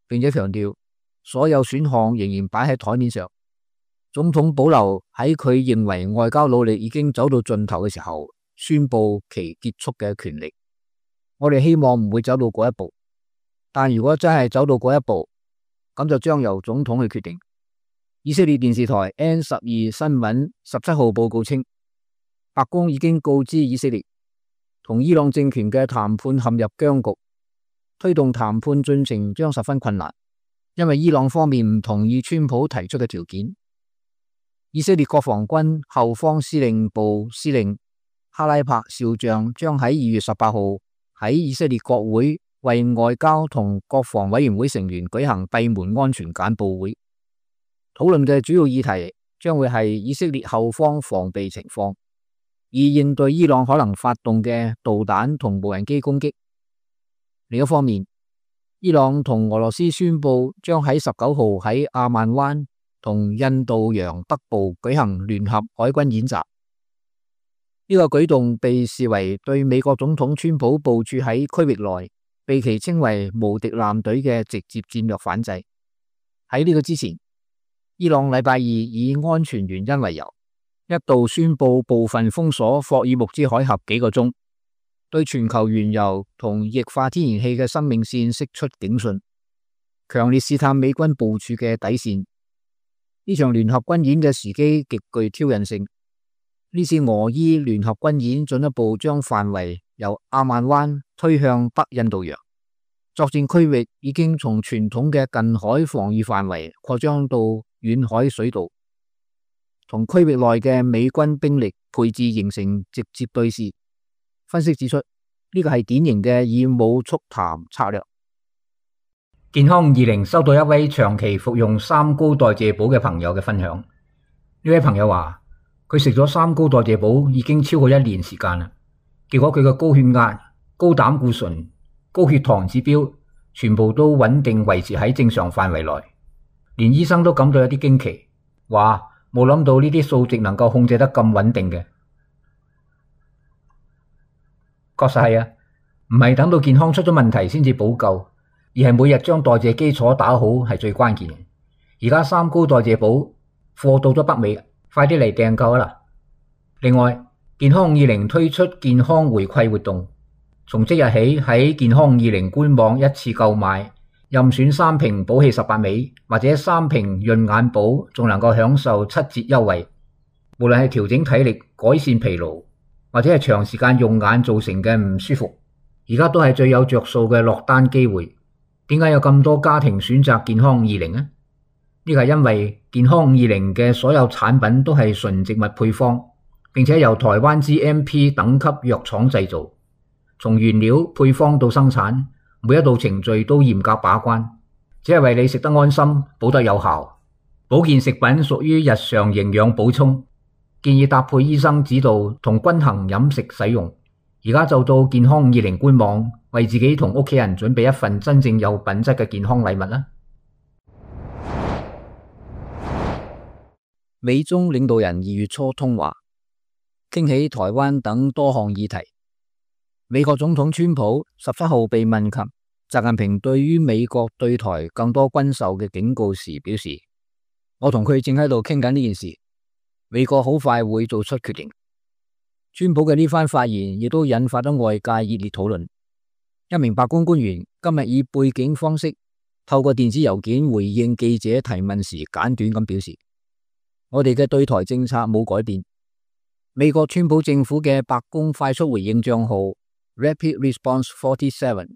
Speaker 6: 並且強調所有選項仍然擺喺台面上。總統保留喺佢認為外交努力已經走到盡頭嘅時候，宣布其結束嘅權力。我哋希望唔會走到嗰一步，但如果真係走到嗰一步，咁就將由總統去決定。以色列電視台 N12 新聞17號報告稱，白宮已經告知以色列，同伊朗政權嘅談判陷入僵局，推動談判進程將十分困難，因為伊朗方面唔同意川普提出嘅條件。以色列國防軍後方司令部司令哈拉柏少將將喺2月18號喺以色列國會為外交同國防委員會成員舉行閉門安全簡報會，討論嘅主要議題將會係以色列後方防備情況，以應對伊朗可能發動嘅導彈同無人機攻擊。另一方面，伊朗同俄羅斯宣布將喺19號喺阿曼灣同印度洋北部舉行聯合海軍演習。呢個舉動被視為對美國總統川普部署喺區域內被其稱為無敵艦隊嘅直接戰略反制。喺呢個之前，伊朗禮拜二以安全原因為由，一度宣布部分封鎖霍爾木茲海峽幾個鐘，對全球原油同液化天然氣嘅生命線釋出警訊，強烈試探美軍部署嘅底線。呢場聯合軍演嘅時機極具挑釁性。呢次俄伊聯合軍演進一步將範圍由阿曼灣推向北印度洋，作戰區域已經從傳統嘅近海防禦範圍擴張到遠海水道，同區域內嘅美軍兵力配置形成直接對峙。分析指出，呢個係典型嘅以武促談策略。健康20收到一位長期服用三高代謝寶嘅朋友嘅分享。呢位朋友話，佢食咗三高代謝寶已經超過1年時間啦，結果佢嘅高血壓、高膽固醇、高血糖指標全部都穩定維持喺正常範圍內，連醫生都感到有啲驚奇，話冇諗到呢啲數值能夠控制得咁穩定嘅。確實係啊，唔係等到健康出咗問題先至補救，而係每日將代謝基礎打好係最關鍵嘅。而家三高代謝寶貨到咗北美，快啲嚟訂購啦！另外，健康50推出健康回饋活動，從即日起喺健康20官網一次購買，任選3瓶補氣18味或者3瓶潤眼寶，仲能夠享受7折優惠。無論係調整體力、改善疲勞，或者係長時間用眼造成嘅唔舒服，而家都係最有着數嘅落單機會。點解有咁多家庭選擇健康20呢？呢個係因為健康20嘅所有產品都係純植物配方，並且由台灣 GMP 等級藥廠製造，從原料配方到生產，每一道程序都嚴格把關，只係為你食得安心，補得有效。保健食品屬於日常營養補充，建議搭配醫生指導同均衡飲食使用。而家就到健康20官網，為自己同屋企人準備一份真正有品質嘅健康禮物啦！美中領導人2月初通話，傾起台灣等多項議題。美國總統川普17號被問及習近平對於美國對台更多軍售嘅警告時，表示：我同佢正喺度傾緊呢件事，美國好快會做出決定。川普嘅呢番發言亦都引發咗外界熱烈討論。一名白宮官員今日以背景方式透過電子郵件回應記者提問時，簡短咁表示：我哋嘅對台政策冇改變。美國川普政府嘅白宮快速回應賬號 Rapid Response 47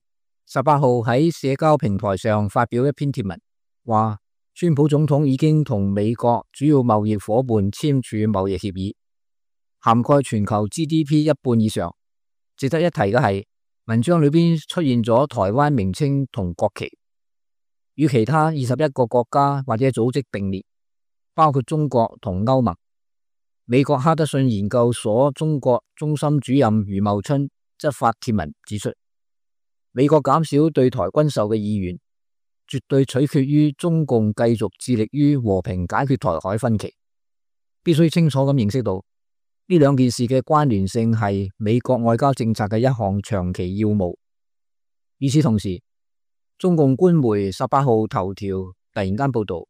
Speaker 6: 18號喺社交平台上發表一篇貼文，話川普總統已經同美國主要貿易夥伴簽署貿易協議，涵蓋全球 GDP 一半以上。值得一提嘅係，文章裏邊出現咗台灣名稱同國旗，與其他21個國家或者組織並列，包括中國同歐盟。美國哈德遜研究所中國中心主任余茂春則發帖文指出，美國減少對台軍售嘅意願，絕對取決於中共繼續致力於和平解決台海分歧。必須清楚咁認識到，呢兩件事嘅關聯性係美國外交政策嘅一項長期要務。與此同時，中共官媒18號頭條突然間報道，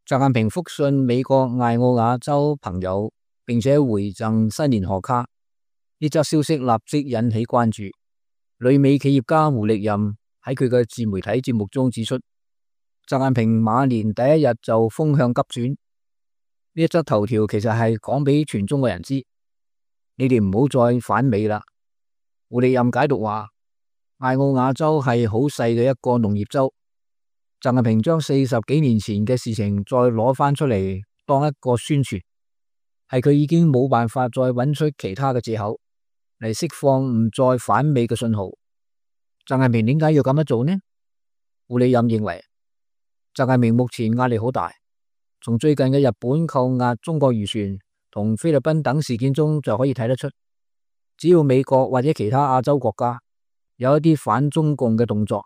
Speaker 6: 習近平復信美國艾奧瓦州朋友，並且回贈新年賀卡。呢則消息立即引起關注。旅美企業家胡力任喺佢嘅自媒體節目中指出，習近平馬年第一日就風向急轉。呢一則頭條其實係講俾全中國人知，你哋唔好再反美啦。胡力任解讀話，艾奧瓦州係好細嘅一個農業州，習近平將40幾年前嘅事情再攞翻出嚟當一個宣傳，係佢已經冇辦法再揾出其他嘅借口嚟釋放唔再反美嘅信號。習近平點解要咁樣做呢？胡力任認為，習近平目前壓力好大，從最近嘅日本扣押中國漁船同菲律賓等事件中就可以睇得出，只要美國或者其他亞洲國家有一啲反中共嘅動作，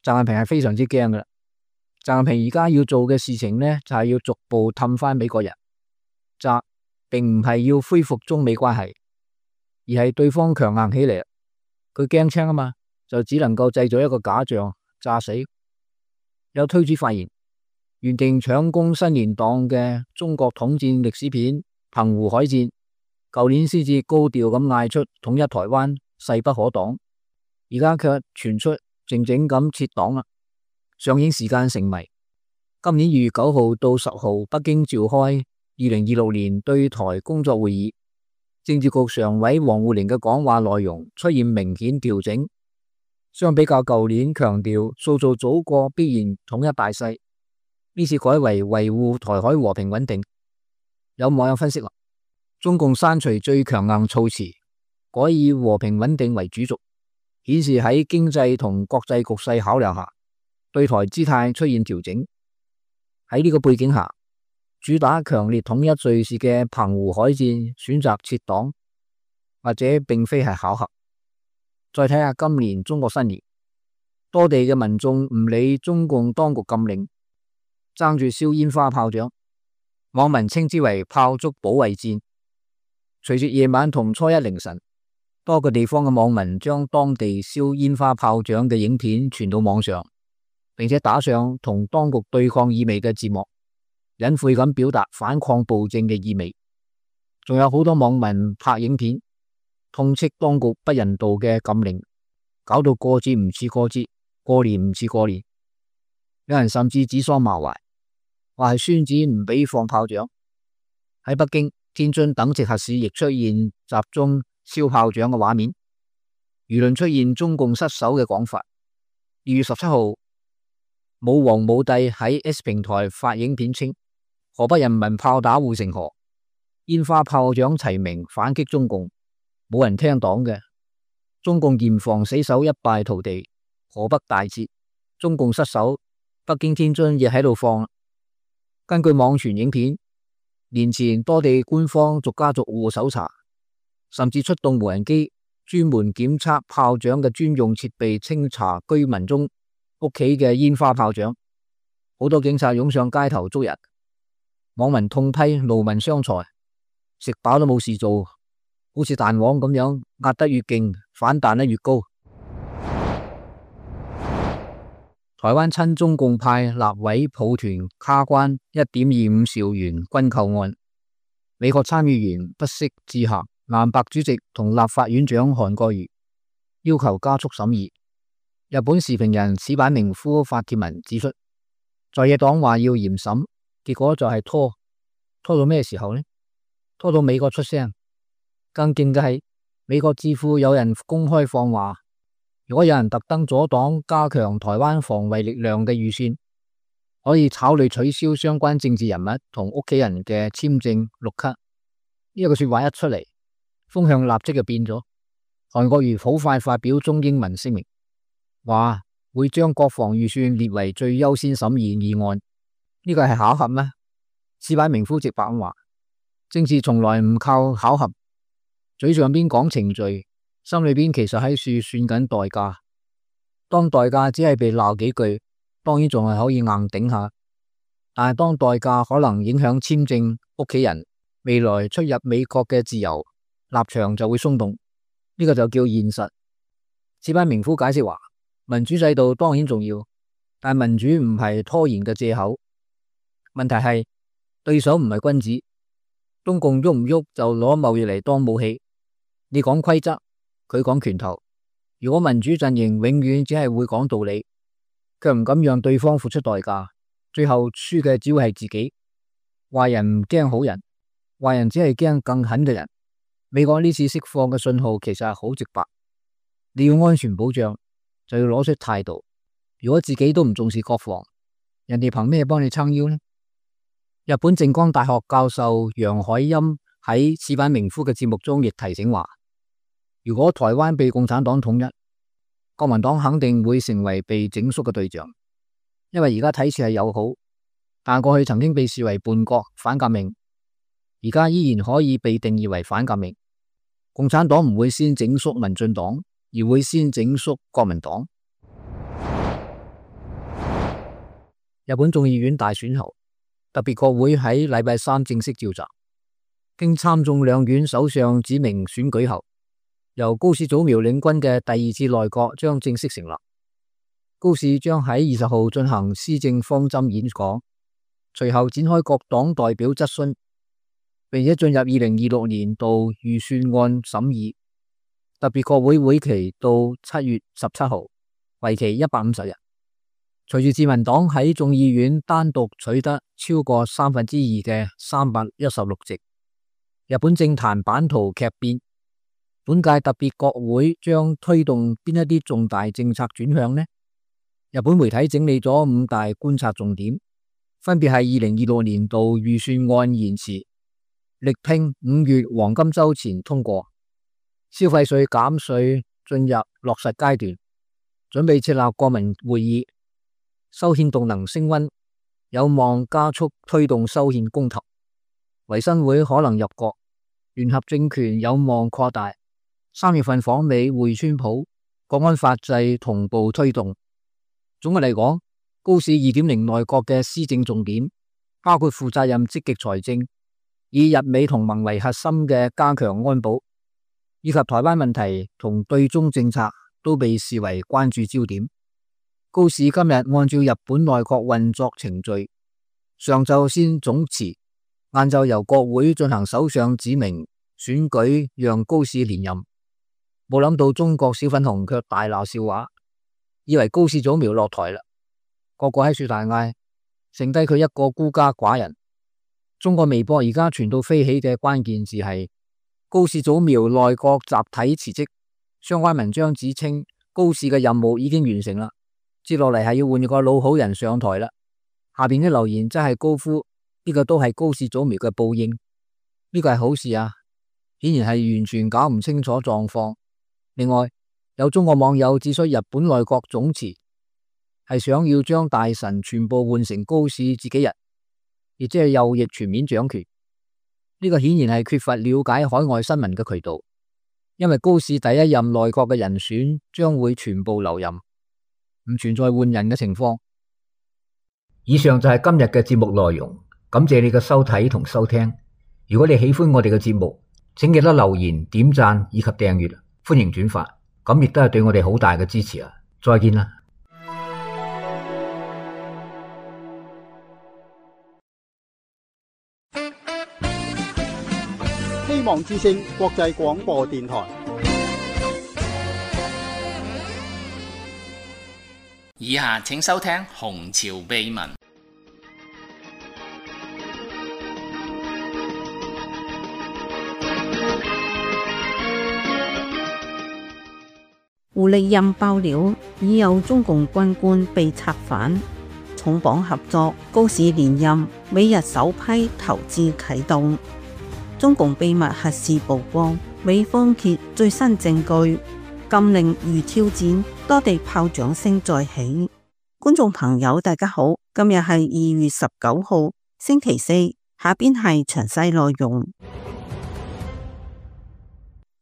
Speaker 6: 習近平係非常之驚噶啦。習近平而家要做嘅事情呢，就係要逐步氹翻美國人，習並唔係要恢復中美關係，而係對方強硬起嚟，佢驚青啊嘛，就只能夠製造一個假象炸死。有推主發言，原定搶攻新年檔嘅中國統戰歷史片《澎湖海戰》，舊年先至高調咁嗌出統一台灣勢不可擋，而家卻傳出靜靜咁撤檔啦。上映時間成謎。今年2月9號到10號北京召開2026年對台工作會議，政治局常委王滬寧嘅講話內容出現明顯調整，相比較舊年強調塑造祖國必然統一大勢，呢次改為維護台海和平穩定。有網友分析話，中共刪除最強硬措辭，改以和平穩定為主軸，顯示喺經濟同國際局勢考量下，對台姿態出現調整。喺呢個背景下，主打強烈統一敘事嘅澎湖海戰選擇撤檔，或者並非係巧合。再睇下今年中國新年，多地嘅民眾唔理中共當局禁令，爭住燒煙花炮仗，網民稱之為炮竹保衛戰。隨住夜晚同初一凌晨，多個地方嘅網民將當地燒煙花炮仗嘅影片傳到網上，並且打上同當局對抗意味嘅字幕，隱晦咁表達反抗暴政嘅意味。仲有好多網民拍影片痛斥當局不人道嘅禁令，搞到過節唔似過節，過年唔似過年。有人甚至指桑罵槐，話係孫子唔俾放炮仗。喺北京、天津等直轄市亦出現集中燒炮仗嘅畫面，輿論出現中共失守嘅講法。2月17號，武王武帝喺 S 平台發影片稱，河北人民炮打護城河，煙花炮仗齊鳴反擊中共，冇人聽黨嘅。中共嚴防死守一敗塗地，河北大捷，中共失守，北京、天津亦喺度放。根據網傳影片，年前多地官方逐家逐戶搜查，甚至出動無人機專門檢測炮仗嘅專用設備，清查居民中屋企嘅煙花炮仗。好多警察湧上街頭捉人，網民痛批勞民傷財，食飽都冇事做，好似彈簧咁樣，壓得越勁，反彈得越高。台灣親中共派立委抱團卡關1.25兆元軍購案，美國參議員不惜致函南白主席同立法院長韓國瑜要求加速審議。日本時評人矢板明夫發帖文指出，在野黨話要嚴審，結果就係拖到咩時候呢？拖到美國出聲。更勁嘅係，美國智庫有人公開放話，如果有人特登阻擋加強台灣防衛力量嘅預算，可以考慮取消相關政治人物同屋企人嘅簽證綠卡。呢個說話一出嚟，風向立即就變咗。韓國瑜好快發表中英文聲明，話會將國防預算列為最優先審議議案。呢個係巧合咩？矢板明夫直白咁話，政治從來唔靠巧合，嘴上邊講程序，心裏邊其實喺處算緊代價。當代價只係被鬧幾句，當然仲係可以硬頂下，但係當代價可能影響簽證、屋企人未來出入美國嘅自由，立場就會鬆動。呢個就叫現實。矢板明夫解釋話，民主制度當然重要，但民主唔係拖延嘅借口。問題係對手唔係君子，中共喐唔喐就攞貿易嚟當武器。你講規則，佢講拳頭。如果民主陣營永遠只係會講道理，卻唔敢讓對方付出代價，最後輸嘅只會係自己。壞人唔驚好人，壞人只係驚更狠嘅人。美國呢次釋放嘅信號其實係好直白，你要安全保障就要攞出態度。如果自己都唔重視國防，人哋憑咩幫你撐腰呢？日本靜岡大學教授楊海欽喺矢板明夫嘅節目中亦提醒話，如果台灣被共產黨統一，國民黨肯定會成為被整肅嘅對象，因為而家睇似係友好，但過去曾經被視為叛國反革命，而家依然可以被定義為反革命。共產黨唔會先整肅民進黨，而會先整肅國民黨。日本眾議院大選後，特別國會喺禮拜三正式召集，經參眾兩院首相指名選舉後，由高市早苗領軍嘅第二次內閣將正式成立。高市將喺20號進行施政方針演講，隨後展開各黨代表質詢，並且進入2026年度預算案審議。特別國會會期到7月17號，為期150日。隨住自民黨喺眾議院單獨取得超過2/3嘅316席，日本政壇版圖劇變。本屆特別國會將推動邊一啲重大政策轉向呢？日本媒體整理咗5大觀察重點，分別係2026年度預算案延遲，力拼5月黃金週前通過，消費稅減稅進入落實階段，準備設立國民會議，修憲動能升溫，有望加速推動修憲公投，維新會可能入閣，聯合政權有望擴大。3月份訪美會川普，國安法制同步推動。總嘅嚟講，高市2.0內閣嘅施政重點包括負責任積極財政，以日美同盟為核心嘅加強安保，以及台灣問題同對中政策都被視為關注焦點。高市今日按照日本內閣運作程序，上晝先總辭，晏晝由國會進行首相指名選舉，讓高市連任。冇諗到中國小粉紅卻大鬧笑話，以為高市早苗落台啦，個個喺樹大嗌，剩低佢一個孤家寡人。中國微博而家傳到飛起嘅關鍵字係高市早苗內閣集體辭職，相關文章指稱高市嘅任務已經完成啦，接落嚟係要換個老好人上台啦。下邊啲留言真係高呼呢個都係高市早苗嘅報應，呢個係好事啊，顯然係完全搞唔清楚狀況。另外，有中國網友指出，日本內閣總辭係想要將大臣全部換成高市自己人，亦即係右翼全面掌權。呢個顯然係缺乏了解海外新聞嘅渠道，因為高市第一任內閣嘅人選將會全部留任，唔存在換人嘅情況。以上就係今日嘅節目內容，感謝你嘅收睇同收聽。如果你喜歡我哋嘅節目，請記得留言、點讚以及訂閱。歡迎轉發，咁亦都係對我哋好大嘅支持啊！再見啦。
Speaker 4: 希希望之聲國際廣播電台。
Speaker 2: 以下請收聽《紅潮秘聞》。
Speaker 7: 胡力任爆料，已有中共軍官被策反，重磅合作，高市連任，美日首批投資啟動。中共秘密核試曝光，美方揭最新證據，禁令如挑戰，多地炮仗聲再起。觀眾朋友大家好，今日係2月19號星期四，下邊係詳細內容。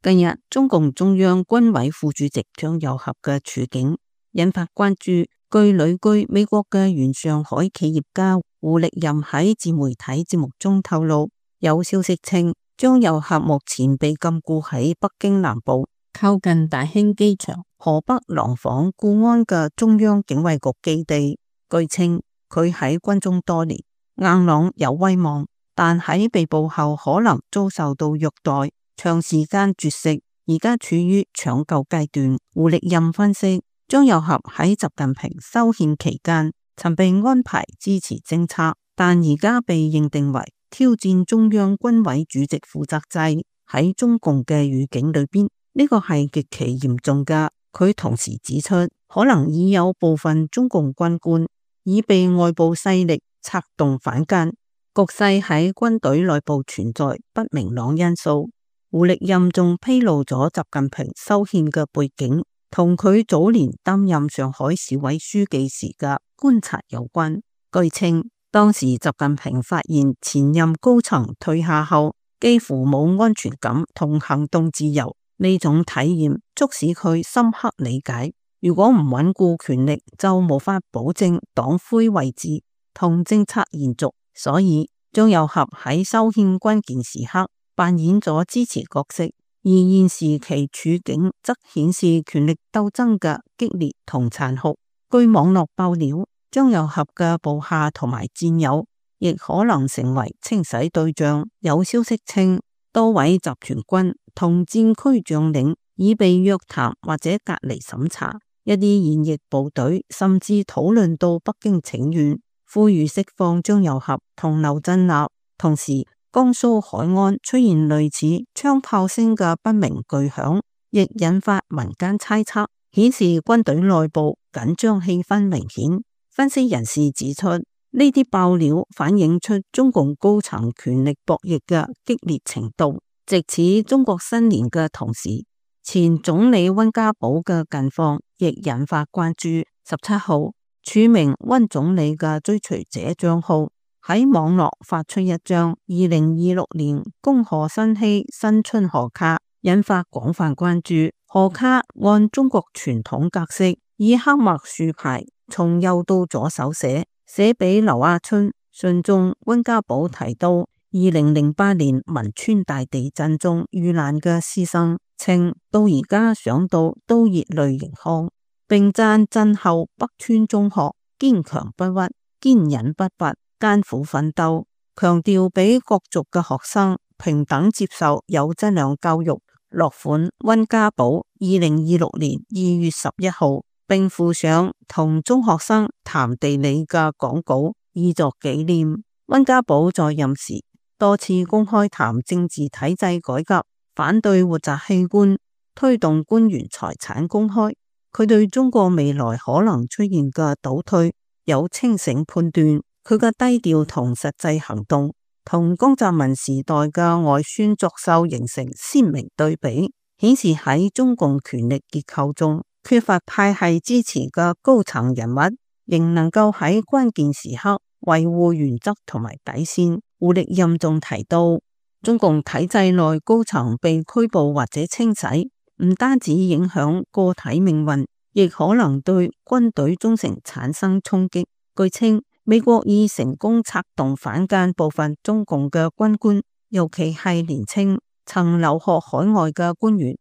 Speaker 7: 近日，中共中央軍委副主席張又俠嘅處境引發關注。據旅居美國嘅原上海企業家胡力任喺自媒體節目中透露，有消息稱張又俠目前被禁錮喺北京南部靠近大興機場河北廊坊固安嘅中央警衛局基地。據稱佢喺軍中多年，硬朗有威望，但喺被捕後可能遭受到虐待，長時間絕食，而家處於搶救階段。胡力任分析，張又俠喺習近平修憲期間曾被安排支持政策，但而家被認定為挑戰中央軍委主席負責制，喺中共嘅語境裏邊，呢個係極其嚴重噶。佢同時指出，可能已有部分中共軍官已被外部勢力策動反間，局勢喺軍隊內部存在不明朗因素。胡力任仲披露咗習近平修憲嘅背景，同佢早年擔任上海市委書記時嘅觀察有關。據稱，當時習近平發現前任高層退下後幾乎冇安全感同行動自由，呢種體驗促使佢深刻理解，如果唔穩固權力，就無法保證黨魁位置同政策延續。所以張又俠喺修憲關鍵時刻扮演咗支持角色，而現時其處境則顯示權力鬥爭嘅激烈同殘酷。據網絡爆料，張又俠嘅部下同埋戰友亦可能成為清洗對象。有消息稱，多位集團軍同戰區將領已被約談或者隔離審查，一啲現役部隊甚至討論到北京請願，呼籲釋放張又俠同劉振立。同時，江蘇海安出現類似槍炮聲嘅不明巨響，亦引發民間猜測，顯示軍隊內部緊張氣氛明顯。分析人士指出，呢啲爆料反映出中共高層權力博弈嘅激烈程度。值此中國新年嘅同時，前總理溫家寶嘅近況亦引發關注。17號，署名溫總理嘅追隨者賬號喺網絡發出一張2026年恭賀新禧新春賀卡，引發廣泛關注。賀卡按中國傳統格式，以黑墨豎排，從右到左手寫俾劉亞春。信中溫家寶提到2008年汶川大地震中遇難嘅師生，稱到而家想到都熱淚盈眶，並讚震後北川中學堅強不屈、堅忍不拔、艱苦奮鬥，強調俾各族嘅學生平等接受有質量教育。落款溫家寶2026年2月11號，並附上同中學生談地理嘅講稿，以作紀念。溫家寶在任時多次公開談政治體制改革，反對活摘器官，推動官員財產公開。佢對中國未來可能出現嘅倒退有清醒判斷。佢嘅低調同實際行動，同江澤民時代嘅外宣作秀形成鮮明對比，顯示喺中共權力結構中缺乏派系支持嘅高層人物，仍能夠喺關鍵時刻維護原則同埋底線。胡力任仲提到，中共體制內高層被拘捕或者清洗，唔單止影響個體命運，亦可能對軍隊忠誠產生衝擊。據稱，美國已成功策動反間部分中共嘅軍官，尤其係年輕曾留學海外嘅官員。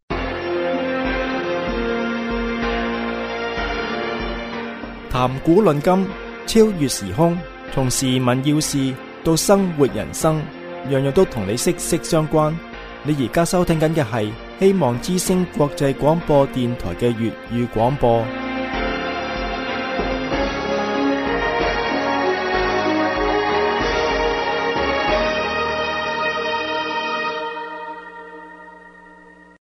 Speaker 1: 談古論今，超越時空，從時聞要事到生活人生，樣樣都同你息息相關。你而家收聽緊嘅係希望之聲國際廣播電台嘅粵語廣播。